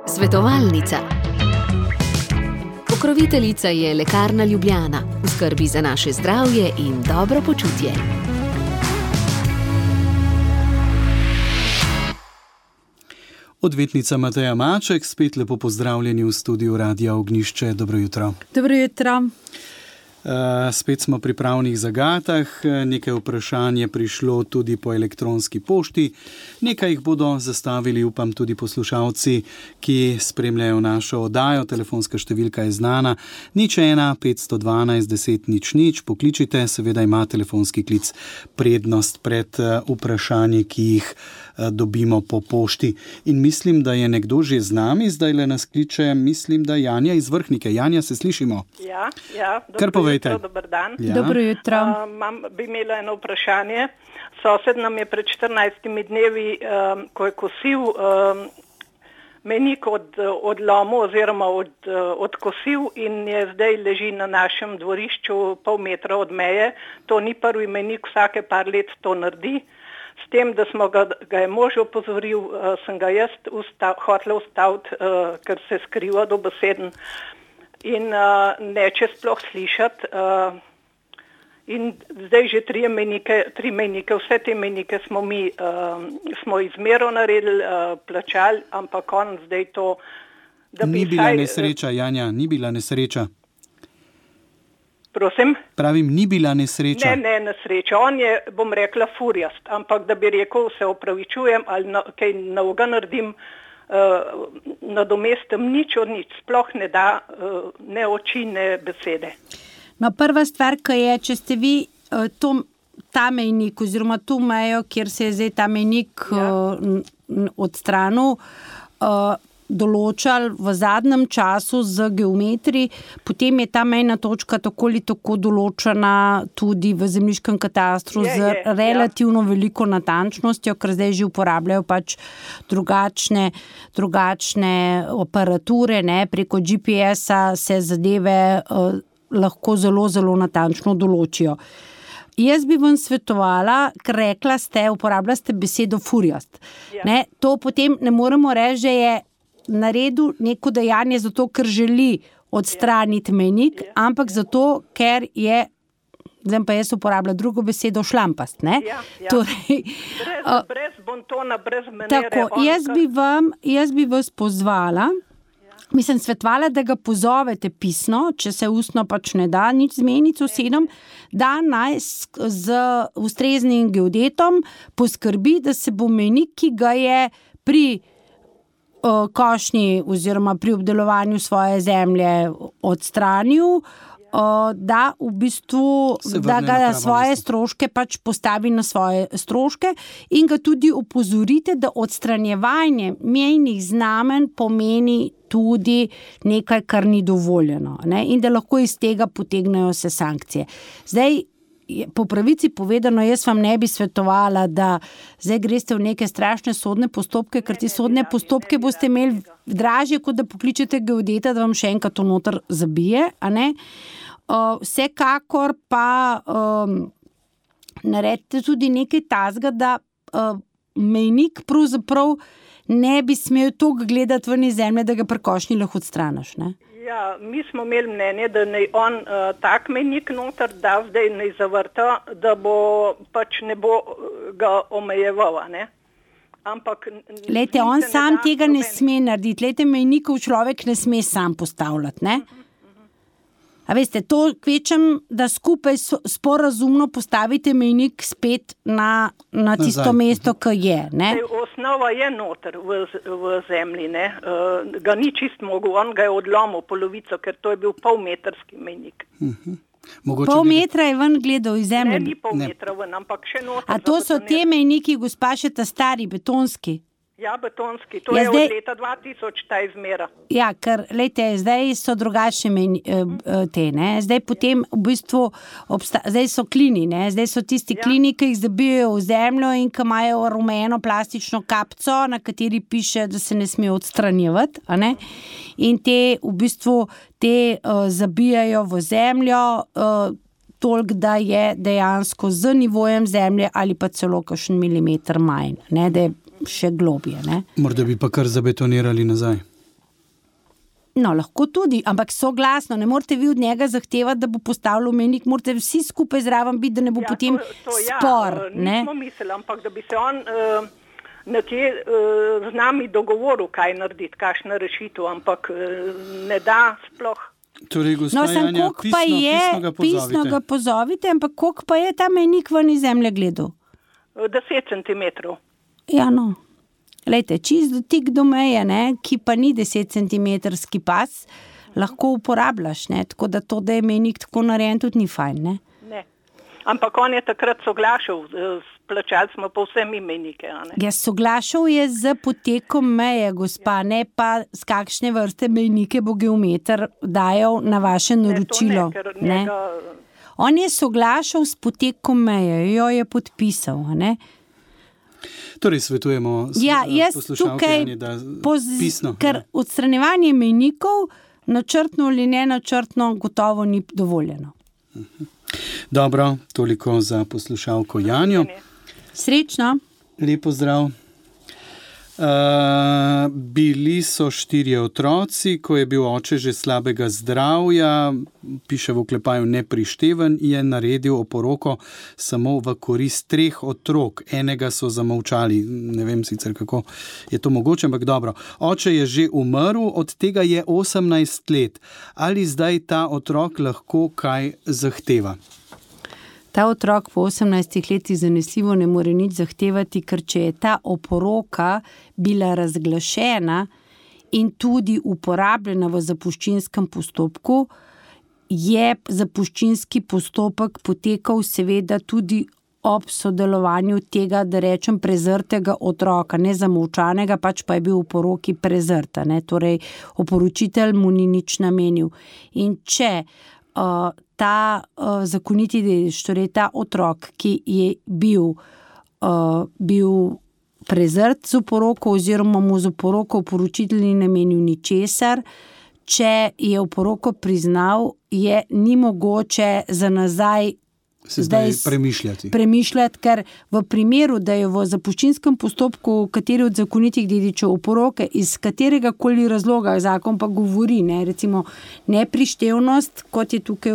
Svetovalnica. Pokroviteljica je Lekarna Ljubljana, v skrbi za naše zdravje in dobro počutje. Odvetnica Mateja Maček, spet lepo pozdravljeni v studiu Radia Ognjišče. Dobro jutro. Dobro jutro. Spet smo pri pravnih zagatah, nekaj vprašanj je prišlo tudi po elektronski pošti, nekaj jih bodo zastavili, upam, tudi poslušalci, ki spremljajo našo oddajo. Telefonska številka je znana, 01 512 10 00, pokličite, seveda ima telefonski klic prednost pred vprašanji, ki jih dobimo po pošti. In mislim, da je nekdo že z nami, zdaj le nas kliče, mislim, da Janja iz Vrhnike. Janja, se slišimo? Ja, kar povejte. Dober dan. Ja. Dobro jutro. Bi imela eno vprašanje. Sosed nam je pred 14 dnevi, ko je kosil, mejnik odlomil oziroma odkosil in je zdaj leži na našem dvorišču pol metra od meje. To ni prvi mejnik, vsake par let to naredi. S tem, da smo ga je mož opozoril, sem ga jaz hotela ustaviti, ker se skriva dobeseden in neče sploh slišati. In zdaj že tri mejnike, vse te mejnike smo izmero naredili, plačali, ampak on zdaj to, da bi ni bila nesreča, Janja, ni bila nesreča. Prosim? Pravim, ni bila nesreča. Ne nesreča. On je, bom rekla, furjast, ampak da bi rekel, se opravičujem ali kaj novega naredim, nadomestim nič od nič, sploh ne da ne oči, ne besede. No, prva stvar, ki je, če ste vi ta mejnik oziroma to mejo, kjer se je zdaj ta mejnik odstranil, določali v zadnjem času z geometriji, potem je ta mejna točka tako ali tako določena tudi v zemljiškem katastru z relativno veliko natančnostjo, ker zdaj že uporabljajo pač drugačne aparature, ne, preko GPS-a se zadeve lahko zelo, zelo natančno določijo. Jaz bi vam svetovala, ker rekla ste, uporabljali ste besedo furjast. Ne, to potem ne moremo reči, že je naredil neko dejanje zato, ker želi odstraniti mejnik, ampak zato, ker je, zdaj pa jaz uporabljam drugo besedo, šlampast, ne? Torej, brez bontona, brez menere. Tako, jaz bi vas pozvala, mislim, svetovala, da ga pozovete pisno, če se ustno pač ne da nič zmeniti sosedom, da naj z ustreznim geodetom poskrbi, da se bo mejnik, ki ga je pri košnji oziroma pri obdelovanju svoje zemlje odstranil, da v bistvu, da ga na svoje stroške pač postavi na svoje stroške in ga tudi opozorite, da odstranjevanje mejnih znamenj pomeni tudi nekaj, kar ni dovoljeno, ne? In da lahko iz tega potegnejo se sankcije. Zdaj, po pravici povedano, jaz vam ne bi svetovala, da zdaj greste v neke strašne sodne postopke, ker ti sodne postopke boste imeli dražje, kot da pokličete geodeta, da vam še enkrat to noter zabije, a ne? Vsekakor pa naredite tudi nekaj tazga, da mejnik pravzaprav ne bi smel toliko gledati ven iz zemlje, da ga pri košnji lahko odstraniš, ne? Ja, mi smo imeli mnenje, da naj on tak mejnik noter da, zdaj naj zavrta, da bo pač ne bo ga omejeval, ne? Ampak lejte, on sam tega ne sme narediti. Lejte, mejnikov človek ne sme sam postavljati, ne? A veste, to kvečem, da skupaj sporazumno postavite mejnik spet na tisto mesto, ki je, ne? Osnova je noter v zemlji, ne? Ga ni čist mogel, on ga je odlomil polovico, ker to je bil polmetrski mejnik. Pol metra je ven gledal iz zemlje? Ne, ni pol metra ven, ampak še noter. A to so te mejniki, gospa, še ta stari, betonski? Ja, betonski. To je od leta 2000 ta izmera. Ja, ker, lejte, zdaj so drugačne te, ne. Zdaj potem v bistvu zdaj so klini, ne. Zdaj so tisti klini, ki jih zabijajo v zemljo in ki imajo rumeno plastično kapco, na kateri piše, da se ne sme odstranjevati, a ne. In te v bistvu zabijajo v zemljo toliko, da je dejansko z nivojem zemlje ali pa celo kakšen milimeter manj, ne, da je še globje. Ne? Morda bi pa kar zabetonirali nazaj. No, lahko tudi, ampak soglasno, ne morete vi od njega zahtevati, da bo postavil mejnik, morate vsi skupaj zraven biti, da ne bo potem spor. Nismo mislili, ampak da bi se on nekje z nami dogovoril, kaj narediti, kakšna rešitev, ampak ne da sploh. Torej, gospa Janja, pisno ga pozovite, ampak koliko pa je ta mejnik ven iz zemlje gledal? 10 centimetrov. Ja, no. Lejte, čist dotik do meje, ne, ki pa ni 10 centimetrski pas, lahko uporabljaš, ne, tako da to, da je mejnik tako narejen, tudi ni fajn, ne. Ne, ampak on je takrat soglašal, plačali smo pa vse mi mejnike, a ne. Ja, soglašal je z potekom meje, gospa, ne pa z kakšne vrste mejnike bo geometer dajal na vaše naročilo. Ne. On je soglašal s potekom meje, jo je podpisal, a ne. Torej svetujemo poslušalke, da pisno. Ker odstranjevanje mejnikov načrtno ali nenačrtno gotovo ni dovoljeno. Dobro, toliko za poslušalko Janjo. Srečno. Lepo zdrav. Bili so 4 otroci, ko je bil oče že slabega zdravja, piše v oklepaju neprišteven, je naredil oporoko samo v korist 3 otrok. Enega so zamolčali, ne vem sicer kako je to mogoče, ampak dobro. Oče je že umrl, od tega je 18 let. Ali zdaj ta otrok lahko kaj zahteva? Ta otrok po 18 letih zanesljivo ne more nič zahtevati, ker če je ta oporoka bila razglašena in tudi uporabljena v zapuščinskem postopku, je zapuščinski postopek potekal seveda tudi ob sodelovanju tega, da rečem, prezrtega otroka, ne zamolčanega, pač pa je bil v poroki prezrta, ne, torej oporočitelj mu ni nič namenil. In če ta zakoniti dedič, torej ta otrok, ki je bil prezrt z oporoko oziroma mu z oporoko oporočitelj ni namenil ničesar, če je oporoko priznal, ni mogoče za nazaj zdaj premišljati, ker v primeru, da je v zapuščinskem postopku kateri od zakonitih dedičev oporoke iz katerega koli razloga, zakon pa govori, ne, recimo neprištevnost, kot je tukaj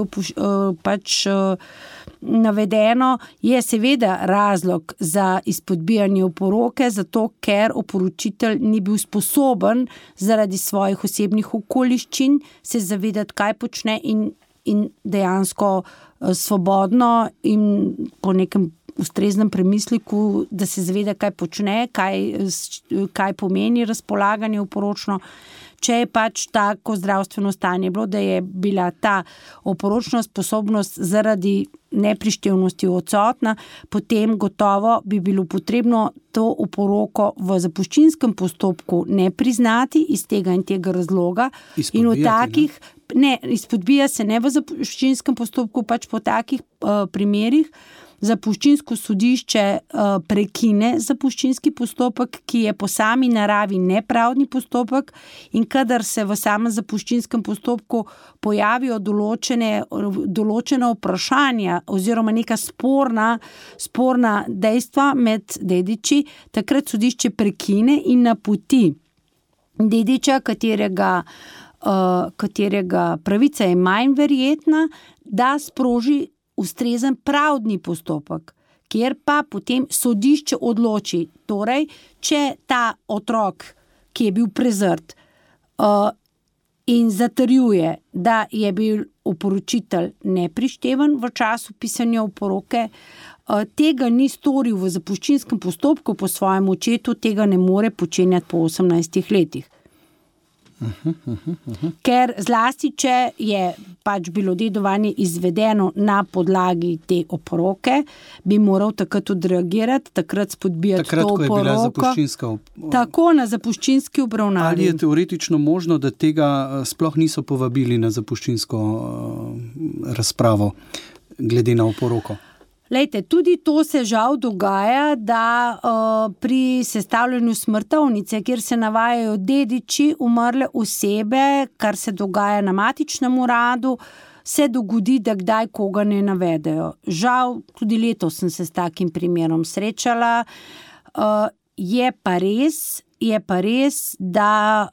navedeno, je seveda razlog za izpodbijanje oporoke, zato ker oporočitelj ni bil sposoben zaradi svojih osebnih okoliščin se zavedati, kaj počne in dejansko svobodno in po nekem ustreznem premisliku, da se zaveda, kaj počne, kaj pomeni razpolaganje oporočno. Če je pač tako zdravstveno stanje bilo, da je bila ta oporočna sposobnost zaradi neprištevnosti odsotna, potem gotovo bi bilo potrebno to oporoko v zapuščinskem postopku ne priznati iz tega in tega razloga. In v takih, izpodbija se ne v zapuščinskem postopku, pač po takih primerih zapuščinsko sodišče prekine zapuščinski postopek, ki je po sami naravi nepravdni postopek, in kadar se v samem zapuščinskem postopku pojavijo določena vprašanja oziroma neka sporna dejstva med dediči, takrat sodišče prekine in napoti dediča, katerega pravica je manj verjetna, da sproži ustrezen pravdni postopek, kjer pa potem sodišče odloči. Torej, če ta otrok, ki je bil prezrt in zatrjuje, da je bil oporočitelj neprišteven v času pisanja oporoke, tega ni storil v zapuščinskem postopku po svojem očetu, tega ne more počenjati po 18 letih. Ker zlasti, če je pač bilo dedovanje izvedeno na podlagi te oporoke, bi moral takrat odreagirati, takrat spodbijati to oporoko. Takrat, ko je bila zapuščinska Tako, na zapuščinski obravnavi. Ali je teoretično možno, da tega sploh niso povabili na zapuščinsko razpravo glede na oporoko? Lejte, tudi to se žal dogaja, da pri sestavljanju smrtovnice, kjer se navajajo dediči umrle osebe, kar se dogaja na matičnem uradu, se dogodi, da kdaj koga ne navedejo. Žal, tudi letos sem se s takim primerom srečala Je pa res, da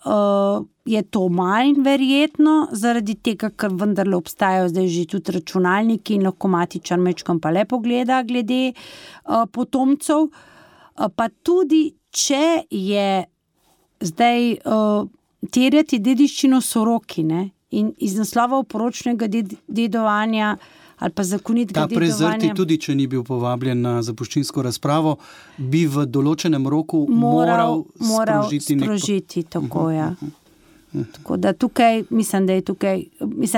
je to manj verjetno, zaradi tega, ker vendarle obstajajo zdaj že tudi računalniki in lahko matičar majčkeno pa le pogleda glede potomcev. Pa tudi, če je zdaj terjati dediščino soroki, ne? In iz naslova oporočnega dedovanja ali pa zakonitega dedovanja. Ta prezrti, tudi če ni bil povabljen na zapuščinsko razpravo, bi v določenem roku moral sprožiti tako, ja. Tako da tukaj, mislim, da je tukaj,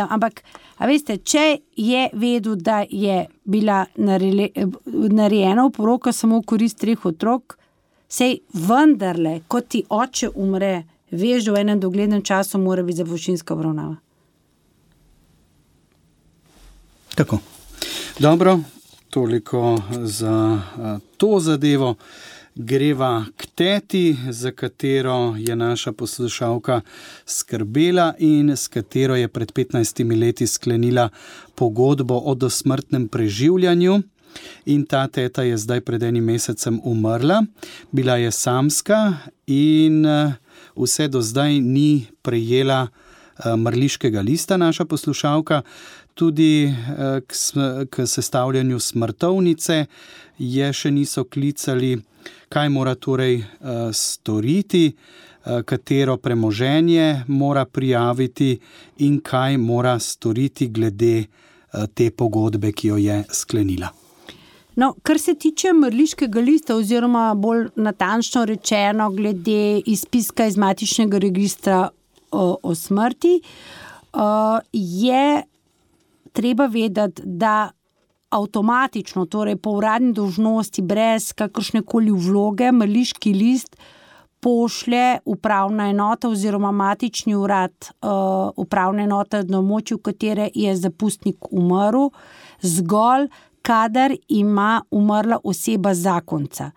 ampak, a veste, če je vedel, da je bila narejena oporoka samo v korist 3 otrok, sej vendarle, ko ti oče umre, veš, da v enem doglednem času mora biti zapuščinska obravnava. Tako. Dobro, toliko za to zadevo. Greva k teti, za katero je naša poslušalka skrbela in s katero je pred 15 leti sklenila pogodbo o dosmrtnem preživljanju. In ta teta je zdaj pred 1 mesecem umrla. Bila je samska in vse do zdaj ni prejela mrliškega lista naša poslušalka. Tudi k sestavljanju smrtovnice je še niso klicali, kaj mora torej storiti, katero premoženje mora prijaviti in kaj mora storiti glede te pogodbe, ki jo je sklenila. No, kar se tiče mrliškega lista oziroma bolj natančno rečeno glede izpiska iz matičnega registra o smrti, je treba vedeti, da avtomatično, torej po uradni dolžnosti, brez kakršnekoli vloge, mrliški list pošlje upravna enota oziroma matični urad upravne enote na območju, v katere je zapustnik umrl, zgolj kadar ima umrla oseba zakonca.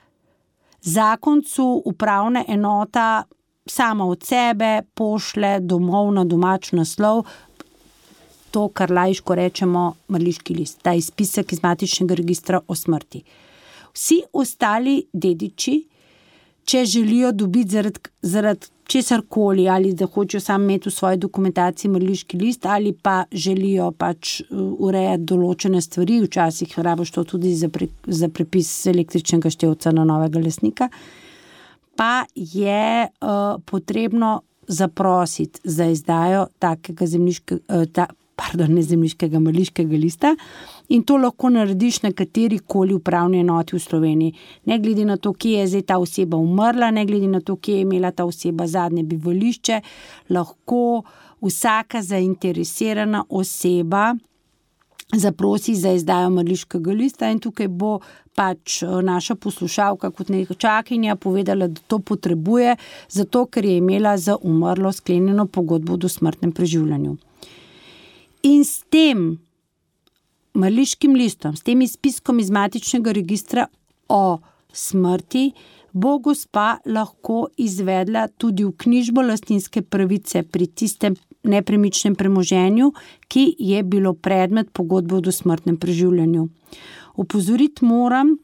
Zakoncu upravna enota sama od sebe pošlje domov na domač naslov to, kar laiško rečemo mrliški list, ta izpisek iz matičnega registra o smrti. Vsi ostali dediči, če želijo dobiti zaradi česarkoli, ali da hočejo sam imeti v svoji dokumentaciji mrliški list, ali pa želijo pač urejati določene stvari, včasih rabiš to tudi za prepis električnega števca na novega lastnika, pa je potrebno zaprositi za izdajo takega mrliškega lista in to lahko narediš na katerikoli upravni enoti v Sloveniji. Ne glede na to, kje je zdaj ta oseba umrla, ne glede na to, kje je imela ta oseba zadnje bivališče, lahko vsaka zainteresirana oseba zaprosi za izdajo mrliškega lista in tukaj bo pač naša poslušalka kot nečakinja povedala, da to potrebuje, zato ker je imela za umrlo sklenjeno pogodbo o dosmrtnem preživljanju. In s tem mrliškim listom, s tem izpiskom iz matičnega registra o smrti, bo gospa lahko izvedla tudi vknjižbo lastninske pravice pri tistem nepremičnem premoženju, ki je bilo predmet pogodbe o dosmrtnem preživljanju. Opozoriti moram,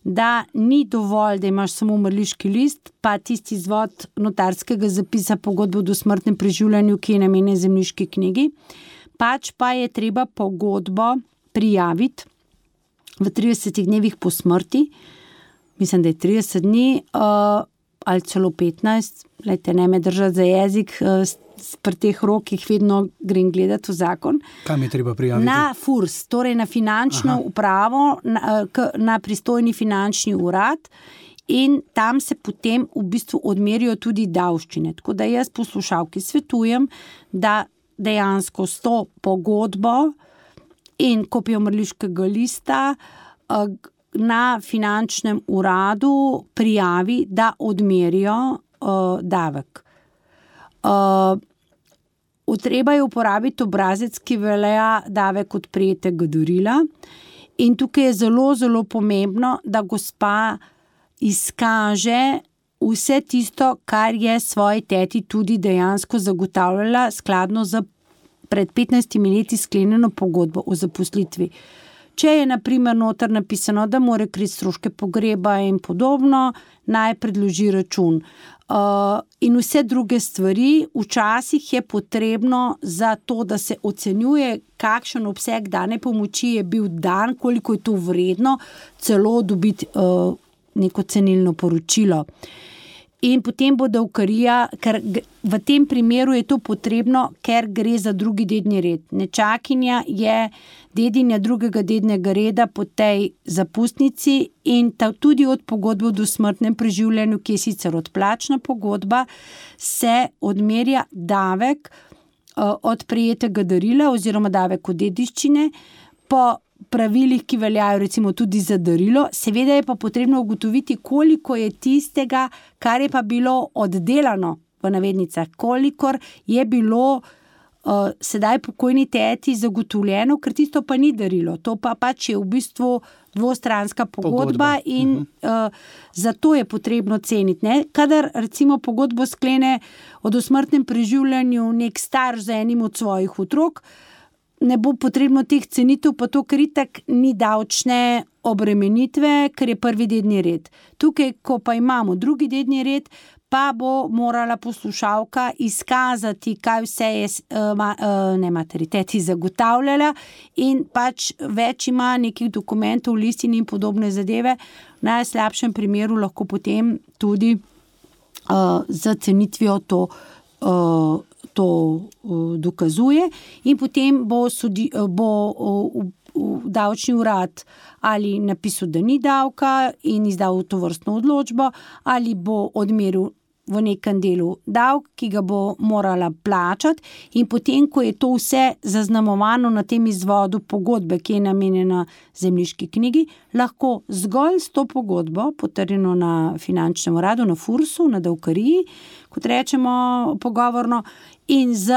da ni dovolj, da imaš samo mrliški list, pa tisti izvod notarskega zapisa pogodbe o dosmrtnem preživljanju, ki je namenjen zemljiški knjigi, pač pa je treba pogodbo prijaviti v 30 dnevih po smrti, mislim, da je 30 dni ali celo 15, lejte, ne me držati za jezik, pri teh rokih vedno grem gledati v zakon. Kam je treba prijaviti? Na FURS, torej na finančno upravo, na pristojni finančni urad in tam se potem v bistvu odmerijo tudi davščine. Tako da jaz poslušalki svetujem, da dejansko s to pogodbo in kopijo mrliškega lista na finančnem uradu prijavi, da odmerijo davek. Treba je uporabiti obrazec, ki velja davek od prejetega darila in tukaj je zelo, zelo pomembno, da gospa izkaže vse tisto, kar je svoji teti tudi dejansko zagotavljala skladno z pred 15 leti sklenjeno pogodbo o zaposlitvi. Če je na primer noter napisano, da mora kriti stroške pogreba in podobno, naj predloži račun. In vse druge stvari, včasih je potrebno za to, da se ocenjuje, kakšen obseg dane pomoči je bil dan, koliko je to vredno, celo dobiti neko cenilno poročilo. In potem bo davkarija, ker v tem primeru je to potrebno, ker gre za drugi dedni red. Nečakinja je dedinja drugega dednega reda po tej zapustnici in tudi od pogodbe o dosmrtnem preživljanju, ki je sicer odplačna pogodba, se odmerja davek od prejetega darila oziroma davek od dediščine po pravilih, ki veljajo recimo tudi za darilo. Seveda je pa potrebno ugotoviti, koliko je tistega, kar je pa bilo oddelano v navednicah, kolikor je bilo sedaj pokojni teti zagotovljeno, ker tisto pa ni darilo. To pa pač je v bistvu dvostranska pogodba. In zato je potrebno ceniti. Ne? Kadar recimo pogodbo sklene o dosmrtnem preživljanju nek starš z enim od svojih otrok, ne bo potrebno teh cenitev, pa to, ker itak ni davčne obremenitve, ker je prvi dedni red. Tukaj, ko pa imamo drugi dedni red, pa bo morala poslušalka izkazati, kaj vse je materiteti zagotavljala in pač več ima nekih dokumentov, listin in podobne zadeve. V najslabšem primeru lahko potem tudi za cenitvijo to dokazuje in potem bo davčni urad ali napisal, da ni davka in izdal tovrstno odločbo, ali bo odmeril v nekem delu davek, ki ga bo morala plačati, in potem, ko je to vse zaznamovano na tem izvodu pogodbe, ki je namenjena zemljiški knjigi, lahko zgolj s to pogodbo, potrjeno na finančnem uradu, na FURS-u, na davkariji, kot rečemo pogovorno, in z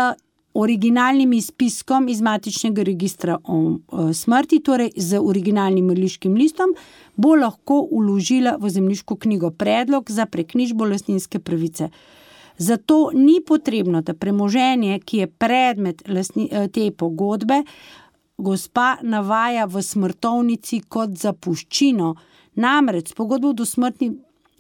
originalnim izpiskom iz matičnega registra o smrti, torej z originalnim mrliškim listom, bo lahko vložila v zemljiško knjigo predlog za preknjižbo lastninske pravice. Zato ni potrebno, da premoženje, ki je predmet te pogodbe, gospa navaja v smrtovnici kot zapuščino. Namreč s pogodbo o dosmrtnem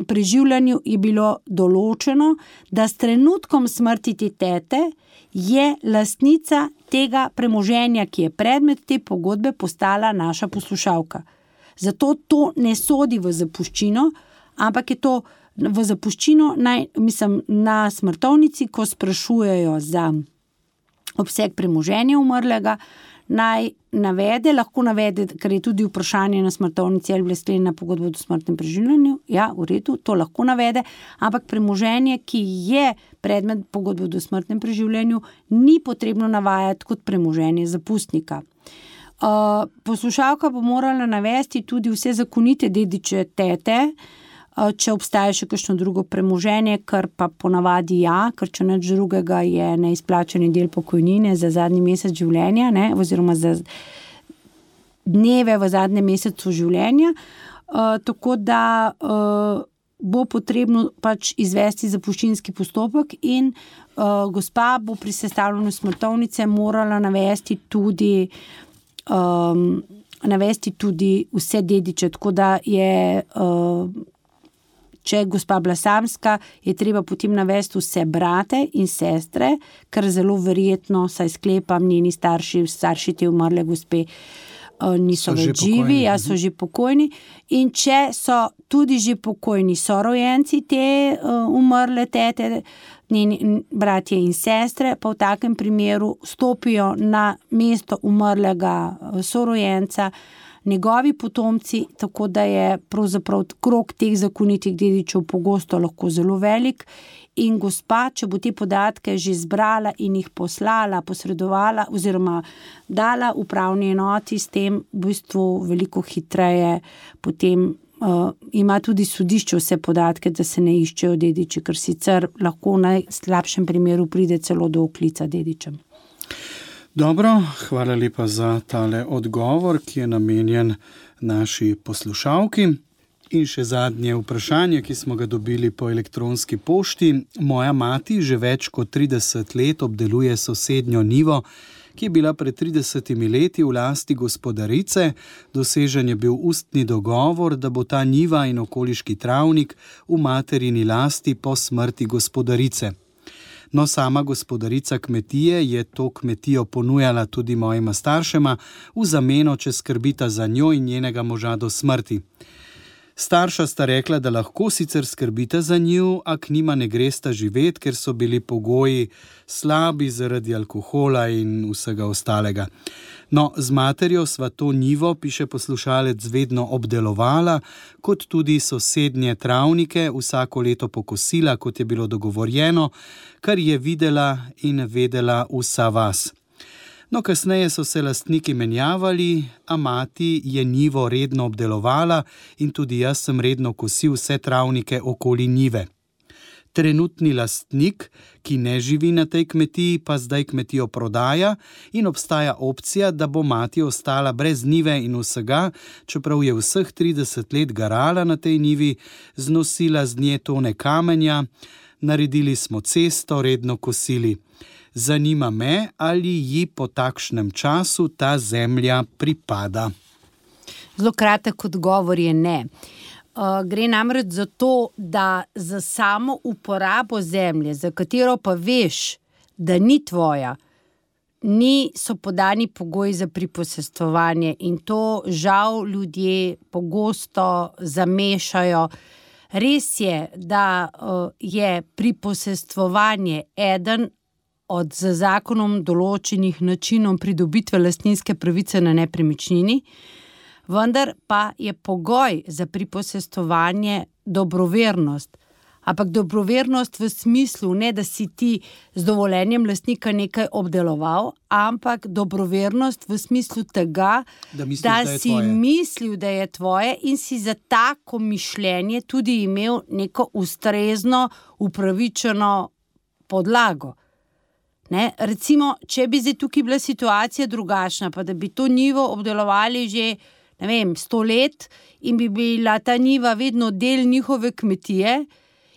preživljanju je bilo določeno, da s trenutkom smrti te tete je lastnica tega premoženja, ki je predmet te pogodbe, postala naša poslušalka. Zato to ne sodi v zapuščino, ampak je to v zapuščino na smrtovnici, ko sprašujejo za obseg premoženja umrlega, naj navede, lahko navede, ker je tudi vprašanje na smrtovnici, ali je bila sklenjena pogodba o dosmrtnem preživljanju, ja, v redu, to lahko navede, ampak premoženje, ki je predmet pogodbe o dosmrtnem preživljanju, ni potrebno navajati kot premoženje zapustnika. Poslušalka bo morala navesti tudi vse zakonite dediče tete, če obstaja še kakšno drugo premoženje, kar pa ponavadi ker če nič drugega je neizplačani del pokojnine za zadnji mesec življenja, ne, oziroma za dneve v zadnjem mesecu življenja, tako da bo potrebno pač izvesti zapuščinski postopek in gospa bo pri sestavljanju smrtovnice morala navesti tudi vse dediče, tako da je če je gospa bila samska, je treba potem navesti vse brate in sestre, ker zelo verjetno, saj sklepam, njeni starši te umrle gospe niso več živi, so že pokojni. In če so tudi že pokojni sorojenci te umrle tete, njeni bratje in sestre, pa v takem primeru stopijo na mesto umrlega sorojenca njegovi potomci, tako da je pravzaprav krog teh zakonitih dedičev pogosto lahko zelo velik in gospa, če bo te podatke že zbrala in jih poslala, posredovala oziroma dala upravni enoti, s tem v bistvu veliko hitreje potem ima tudi sodišče vse podatke, da se ne iščejo dediči, ker sicer lahko v najslabšem primeru pride celo do oklica dedičem. Dobro, hvala lepa za tale odgovor, ki je namenjen naši poslušalki. In še zadnje vprašanje, ki smo ga dobili po elektronski pošti. Moja mati že več kot 30 let obdeluje sosednjo njivo, ki je bila pred 30 leti v lasti gospodarice. Dosežen je bil ustni dogovor, da bo ta njiva in okoliški travnik v materini lasti po smrti gospodarice. No, sama gospodarica kmetije je to kmetijo ponujala tudi mojima staršema v zameno, če skrbita za njo in njenega moža do smrti. Starša sta rekla, da lahko sicer skrbita za njo, a k njima ne gresta živeti, ker so bili pogoji slabi zaradi alkohola in vsega ostalega. No, z materjo sva to njivo, piše poslušalec, vedno obdelovala, kot tudi sosednje travnike, vsako leto pokosila, kot je bilo dogovorjeno, kar je videla in vedela vsa vas. No, kasneje so se lastniki menjavali, a mati je njivo redno obdelovala in tudi jaz sem redno kosil vse travnike okoli njive. Trenutni lastnik, ki ne živi na tej kmetiji, pa zdaj kmetijo prodaja in obstaja opcija, da bo mati ostala brez njive in vsega, čeprav je vseh 30 let garala na tej njivi, znosila z nje tone kamenja, naredili smo cesto, redno kosili. Zanima me, ali ji po takšnem času ta zemlja pripada. Zelo kratek odgovor je ne. Gre namreč za to, da za samo uporabo zemlje, za katero pa veš, da ni tvoja, so podani pogoji za priposestvovanje in to žal ljudje pogosto zamešajo. Res je, da je priposestvovanje eden od z zakonom določenih načinov pridobitve lastninske pravice na nepremičnini, vendar pa je pogoj za priposestvovanje dobrovernost. Ampak dobrovernost v smislu, ne da si ti z dovoljenjem lastnika nekaj obdeloval, ampak dobrovernost v smislu tega, da si mislil, da je tvoje in si za tako mišljenje tudi imel neko ustrezno, upravičeno podlago. Ne? Recimo, če bi zdaj tukaj bila situacija drugačna, pa da bi to njivo obdelovali že 100 let in bi bila ta njiva vedno del njihove kmetije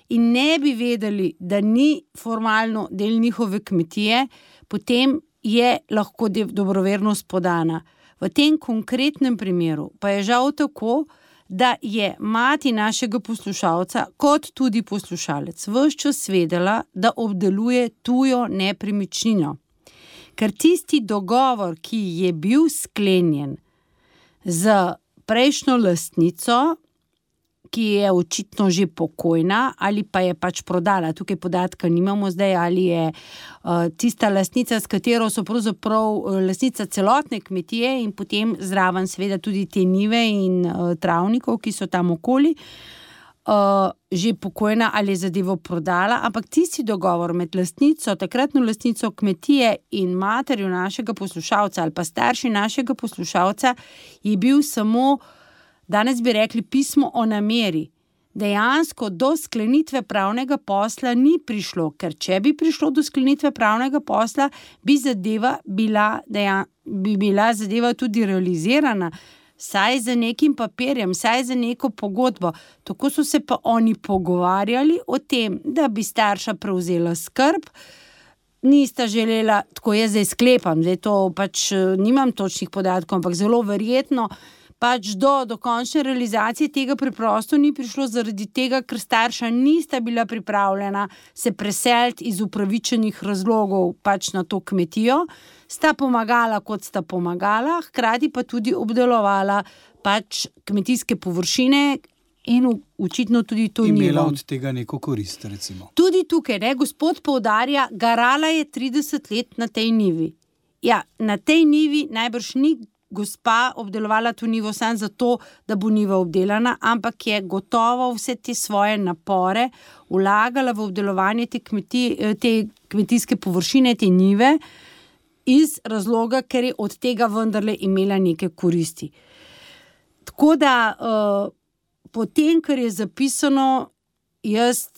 in ne bi vedeli, da ni formalno del njihove kmetije, potem je lahko dobrovernost podana. V tem konkretnem primeru pa je žal tako, da je mati našega poslušalca, kot tudi poslušalec, ves čas vedela, da obdeluje tujo nepremičnino. Ker tisti dogovor, ki je bil sklenjen z prejšnjo lastnico, ki je očitno že pokojna ali pa je pač prodala, tukaj podatka nimamo zdaj, ali je tista lastnica, s katero so pravzaprav lastnica celotne kmetije in potem zraven seveda tudi te njive in travnikov, ki so tam okoli, že pokojna ali je zadevo prodala, ampak tisti dogovor med lastnico, takratno lastnico kmetije in materjo našega poslušalca ali pa starši našega poslušalca je bil samo, danes bi rekli, pismo o nameri. Dejansko do sklenitve pravnega posla ni prišlo, ker če bi prišlo do sklenitve pravnega posla, bi bila zadeva tudi realizirana, saj za nekim papirjem, saj za neko pogodbo. Tako so se pa oni pogovarjali o tem, da bi starša prevzela skrb, nista želela, tako jaz zdaj sklepam, zdaj to pač nimam točnih podatkov, ampak zelo verjetno, pač do končne realizacije tega preprosto ni prišlo zaradi tega, ker starša nista bila pripravljena se preseliti iz upravičenih razlogov pač na to kmetijo, sta pomagala, kot sta pomagala, hkrati pa tudi obdelovala pač kmetijske površine in očitno tudi to njivo. Imela od tega neko korist, recimo. Tudi tukaj, gospod poudarja, garala je 30 let na tej njivi. Ja, na tej njivi najbrž ni gospa obdelovala to njivo samo zato, da bo njiva obdelana, ampak je gotovo vse te svoje napore vlagala v obdelovanje te kmetijske površine, te njive, iz razloga, ker je od tega vendarle imela neke koristi. Tako da potem, kar je zapisano, jaz,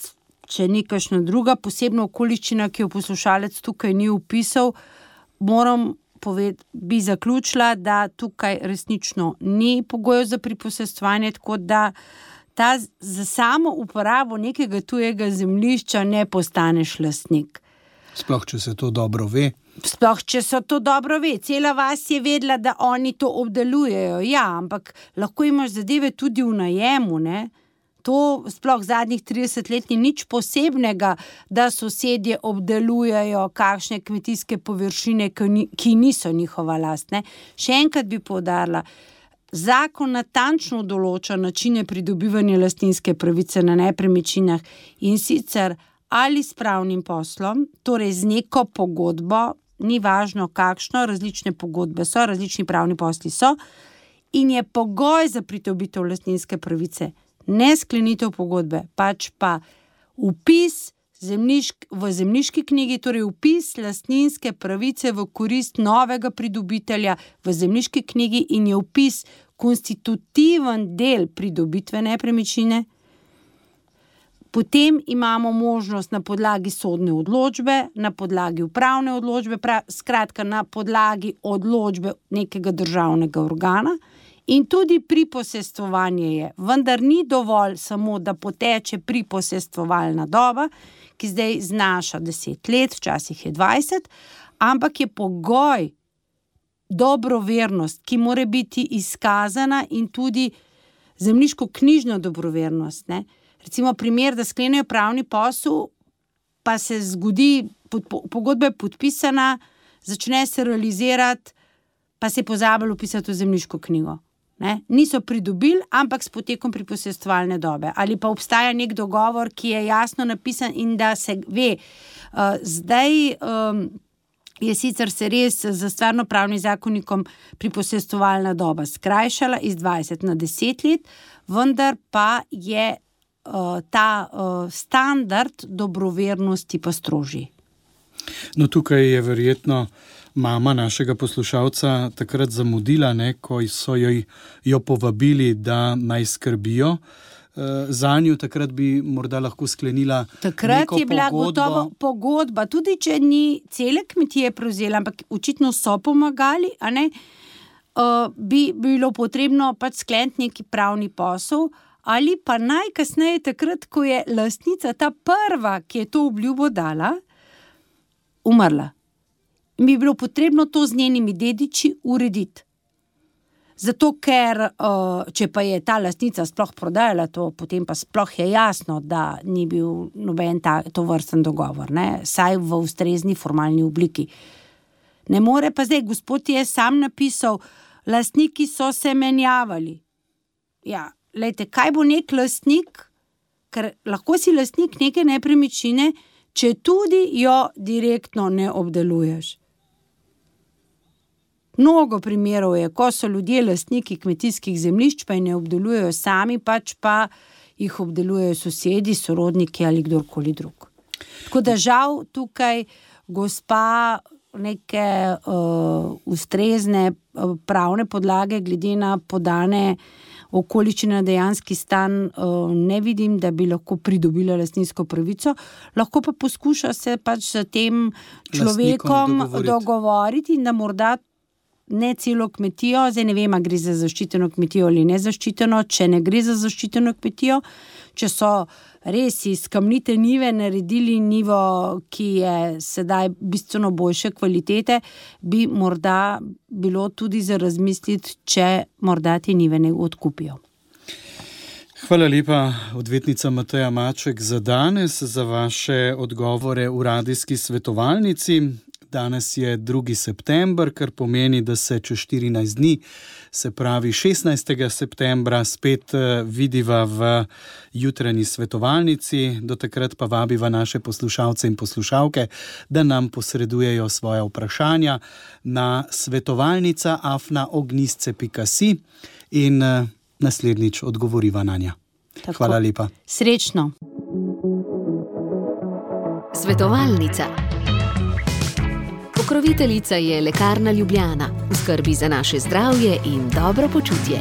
če ni kakšna druga posebna okoliščina, ki jo poslušalec tukaj ni opisal, bi zaključila, da tukaj resnično ni pogojev za priposestvovanje, tako da za samo uporabo nekega tujega zemljišča ne postaneš lastnik. Sploh, če se to dobro ve. Sploh, če so to dobro ve. Cela vas je vedela, da oni to obdelujejo. Ja, ampak lahko imaš zadeve tudi v najemu, ne? To sploh zadnjih 30 let ni nič posebnega, da sosedje obdelujejo kakšne kmetijske površine, ki niso njihova last, ne? Še enkrat bi poudarila, zakon natančno določa načine pridobivanja lastninske pravice na nepremičninah in sicer ali s pravnim poslom, torej z neko pogodbo, ni važno kakšno, različne pogodbe so, različni pravni posli so, in je pogoj za pridobitev lastninske pravice ne sklenitev pogodbe, pač pa vpis v zemljiški knjigi, torej vpis lastninske pravice v korist novega pridobitelja v zemljiški knjigi in je vpis konstitutiven del pridobitve nepremičnine. Potem imamo možnost na podlagi sodne odločbe, na podlagi upravne odločbe, skratka na podlagi odločbe nekega državnega organa in tudi priposestvovanje je. Vendar ni dovolj samo, da poteče priposestvovalna doba, ki zdaj znaša 10 let, včasih je 20, ampak je pogoj dobrovernost, ki mora biti izkazana in tudi zemljiško-knjižna dobrovernost, ne. Recimo primer, da sklenejo pravni posel, pa se zgodi, pogodba je podpisana, začne se realizirati, pa se je pozabilo vpisati v zemljiško knjigo. Ne? Niso pridobili, ampak s potekom priposestvovalne dobe. Ali pa obstaja nek dogovor, ki je jasno napisan in da se ve. Zdaj je sicer se res za stvarnopravnim zakonikom priposestvovalna doba skrajšala iz 20 na 10 let, vendar pa je ta standard dobrovernosti pa strožji. No, tukaj je verjetno mama našega poslušalca takrat zamudila, ne, ko so jo povabili, da naj skrbijo zanju, takrat bi morda lahko sklenila takrat neko je bila gotovo pogodba, tudi če ni cele kmetije prevzela, ampak očitno so pomagali, a ne, bi bilo potrebno pač skleniti neki pravni posel, ali pa najkasneje takrat, ko je lastnica ta prva, ki je to obljubo dala, umrla. In bi bilo potrebno to z njenimi dediči urediti. Zato, ker če pa je ta lastnica sploh prodajala to, potem pa sploh je jasno, da ni bil noben to vrsten dogovor, ne? Saj v ustrezni formalni obliki. Ne more pa zdaj, gospod je sam napisal, lastniki so se menjavali. Ja, lejte, kaj bo nek lastnik, ker lahko si lastnik neke nepremičnine, če tudi jo direktno ne obdeluješ. Mnogo primerov je, ko so ljudje lastniki kmetijskih zemljišč, pa jih ne obdelujejo sami, pač pa jih obdelujejo sosedi, sorodniki ali kdorkoli drug. Tako da žal tukaj gospa neke ustrezne pravne podlage glede na podane okoličine dejanski stan ne vidim, da bi lahko pridobila lastninsko pravico, lahko pa poskuša se pač s tem človekom dogovoriti in da morda ne celo kmetijo, zdaj ne vem, a gre za zaščiteno kmetijo ali nezaščiteno, če ne gre za zaščiteno kmetijo, če so res iz kamnite njive naredili njivo, ki je sedaj bistveno boljše kvalitete, bi morda bilo tudi za razmisliti, če morda te njive ne odkupijo. Hvala lepa, odvetnica Mateja Maček, za danes, za vaše odgovore v radijski svetovalnici. Danes je 2. september, kar pomeni, da se čez 14 dni, se pravi 16. septembra, spet vidiva v jutranji svetovalnici. Do takrat pa vabiva naše poslušalce in poslušalke, da nam posredujejo svoja vprašanja na svetovalnica@ognjisce.si in naslednjič odgovoriva na nja. Tako. Hvala lepa. Srečno. Svetovalnica. Pokroviteljica je Lekarna Ljubljana, v skrbi za naše zdravje in dobro počutje.